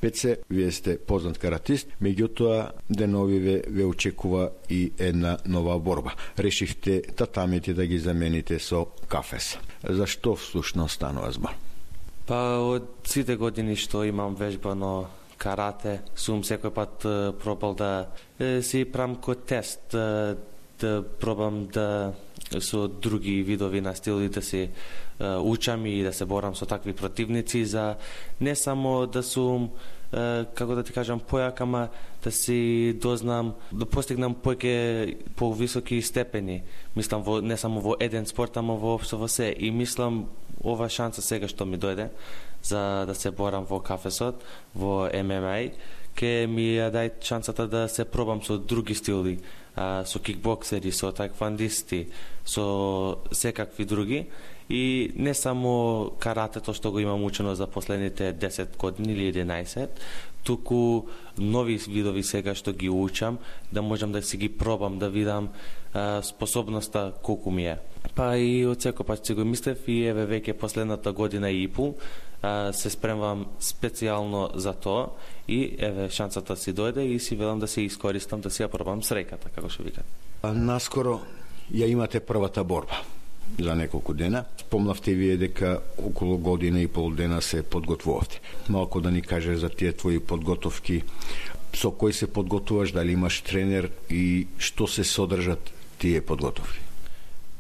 Пеце, вие сте познат каратист, меѓутоа деновиве ве очекува и една нова борба. Решивте татамите да ги замените со кафес. Зашто всушност станува збор? Па од сите години што имам вежбано карате, сум секој пат пробал да си правам ко тест, да пробам да со други видови на стили да се учам и да се борам со такви противници, за не само да сум, како да ти кажам, појак, ама да си дознам, да постигнам поеќе повисоки степени. Мислам, не само во еден спорт, ама воопшто во се. И мислам, ова шанса сега што ми дојде за да се борам во кафесот, во ММА, ке ми ја дај шансата да се пробам со други стили, со кикбоксери, со таеквондисти, со секакви други. И не само каратето што го имам учено за последните 10 години или 11, туку нови видови сега што ги учам, да можам да си ги пробам, да видам способноста колку ми е. Па и од секој пат си го мислев и еве веќе последната година и пол се спремвам специјално за тоа и еве шансата си дојде и си велам да се искористам, да си ја пробам среќата, како што викат. Наскоро ја имате првата борба за неколку дена. Спомнавте вие дека околу година и пол дена се подготвувавте. Малку да ни кажеш за тие твои подготовки, со кој се подготуваш, дали имаш тренер и што се содржат тие подготовки?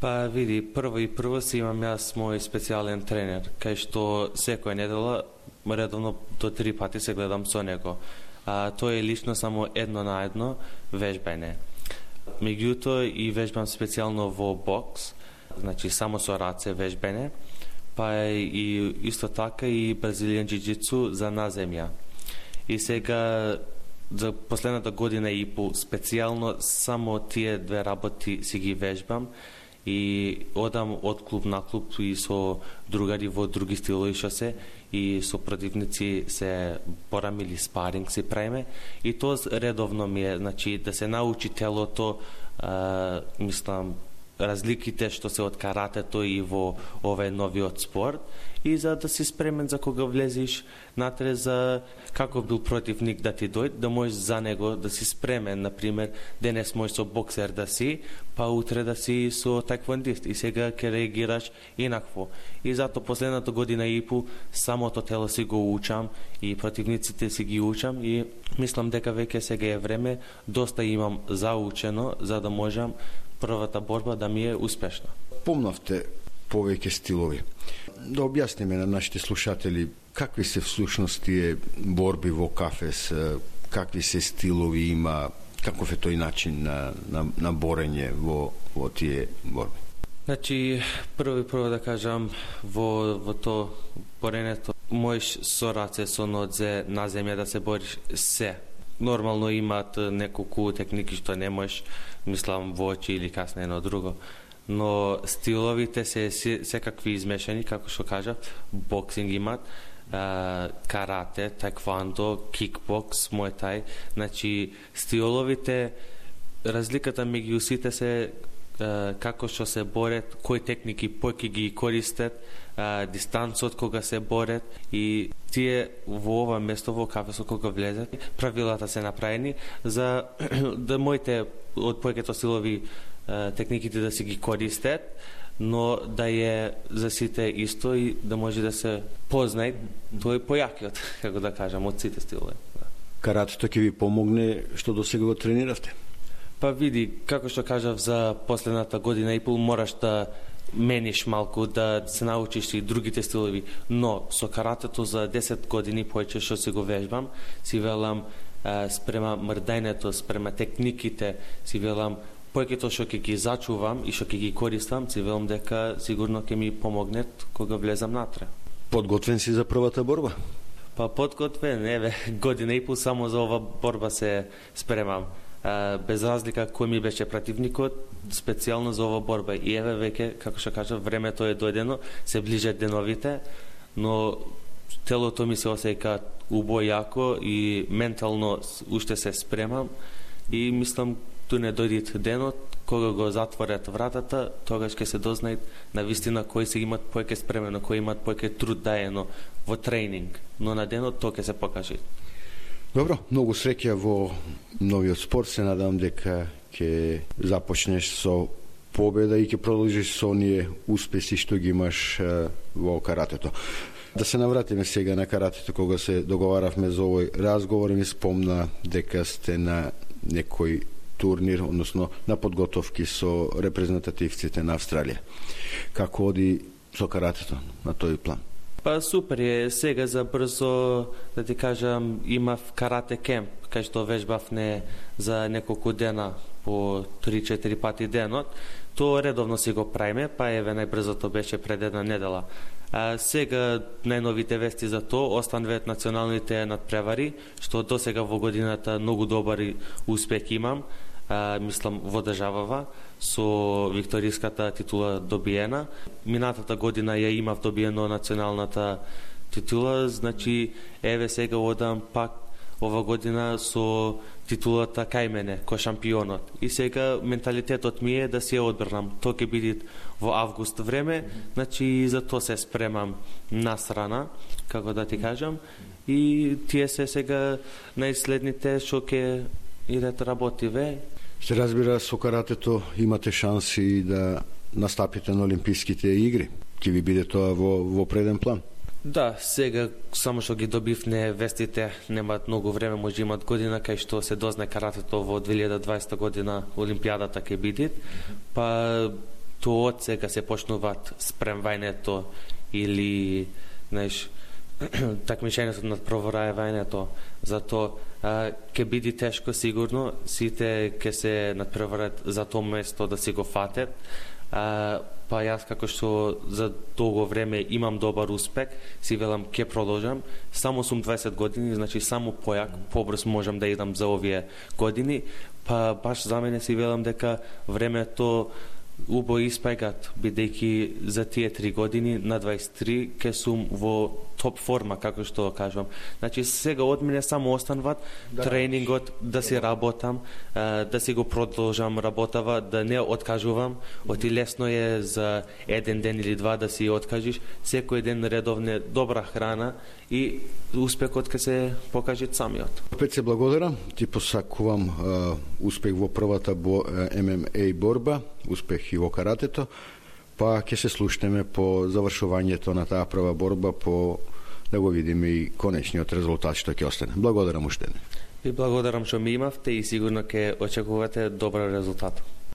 Па види, прво си имам јас мој специјален тренер, кај што секоја недела редовно до 3 пати се гледам со него. Тој е лично само едно на едно вежбање. Меѓутоа и вежбам специјално во бокс, значи само со раце вежбање, па и исто така и бразилијан џиџицу за наземја. И сега за последната година и пол специјално само тие две работи си ги вежбам и одам од клуб на клуб и со другари во други стилови што се и со противници се борам или спаринг си правиме и тоа редовно ми е, значи да се научи телото, мислам разликите што се од каратето и во овој новиот спорт и за да си спремен за кога влезеш натре, за каков бил противник да ти дојде, да можеш за него да си спремен, например, денес можеш со боксер да си, па утре да си со таеквондист и сега ќе реагираш инакво. И зато последната година и пол самото тело си го учам и противниците си ги учам и мислам дека веќе сега е време, доста имам заучено за да можам првата борба да ми е успешна. Помнавте повеќе стилови. Да објасниме на нашите слушатели какви се всушност тие борби во кафес, какви се стилови има, каков е тој начин на борење во тие борби. Значи, прво да кажам, во то боренето можеш со раце, со нодзе, на земја да се бориш се. Нормално имаат неколку техники што не можеш, мислам, во очи или касно едно друго. Но стиловите се секакви измешани, како што кажав, боксинг имат, карате, таеквондо, кикбокс, муај-тај. Значи, стиловите, разликата меѓу сите се како што се борат, кои техники поќе ги користат, дистанцот кога се борат и тие во ова место во кафесот кога влезат, правилата се направени за да моите од поеќето силови техниките да се ги користат, но да е за сите исто и да може да се познае тој појакиот, како да кажам, од сите стилови. Каратето ќе ви помогне што досега го трениравте? Па види, како што кажав за последната година и пол мораш да мениш малку, да се научиш и другите стилови, но со каратето за 10 години поеќе што се го вежбам, си велам спрема мрдањето, спрема техниките, си велам поеќето што ќе ги зачувам и што ќе ги користам, си велам дека сигурно ќе ми помогнет кога влезам натре. Подготвен си за првата борба? Па подготвен, еве, година и пол само за ова борба се спремам. Без разлика кој ми беше противникот, специјално за ова борба. И еве веќе, како што кажав, времето е дојдено, се ближат деновите, но телото ми се осеќа убојако и ментално уште се спремам и мислам ту не дојдит денот, кога го затворат вратата, тогаш ќе се дознаат на вистина кои се имат поеќе спремено, кои имат поеќе труд даено во тренинг, но на денот тоа ќе се покаже. Добро, многу среќа во новиот спорт. Се надам дека ќе започнеш со победа и ќе продолжиш со оние успеси што ги имаш во каратето. Да се навратиме сега на каратето. Кога се договаравме за овој разговор, ми спомна дека сте на некој турнир, односно на подготовки со репрезентативците на Австралија. Како оди со каратето на тој план? Па супер е, сега за брзо, да ти кажам, имав карате кемп, кај што вежбавме за неколку дена по 3-4 пати денот. Тоа редовно си го правиме, па еве најбрзото беше пред една недела. А сега најновите вести за тоа остануваат националните надпревари, што до сега во годината многу добар успех имам. Мислам во државава со викториската титула добиена. Минатата година ја имав добиено националната титула, значи еве сега одам пак ова година со титулата кај мене, кој шампионот. И сега менталитетот ми е да се одбрнам. Тоа ќе биде во август време, значи за тоа се спремам насрана, како да ти кажам. И тие се сега најследните што ќе идат работиве. Се разбира, со каратето имате шанси да настапите на Олимписките игри. Ќе ви биде тоа во преден план? Да, сега само што ги добивне вестите, немаат многу време, може имат година кај што се дозна каратето во 2020 година Олимпијадата ќе биде. Па тоа од сега се почнуваат спремвањето или, знаеш, такмичењето над проворајањето. Затоа ќе биде тешко сигурно, сите ќе се надпреварат за тоа место да си го фатат. Па јас како што за долго време имам добар успех, си велам ќе продолжам. Само сум 20 години, значи само побрз можам да идам за овие години. Па баш за мене си велам дека времето убо испајгат, бидејќи за тие 3 години на 23 ке сум во топ форма, како што кажувам. Значи сега од мене само остануват тренингот, да си работам, да си го продолжам работава, да не откажувам. Оти лесно е за еден ден или два да си откажиш. Секој ден редовна добра храна и успехот ќе се покаже самиот. Опет се благодарам, ти посакувам успех во првата ММА борба, успех и во каратето, па ќе се слушнеме по завршувањето на таа прва борба, по да го видиме и конечниот резултат што ќе остане. Благодарам уште. И благодарам што ми имавте и сигурно ќе очекувате добар резултат.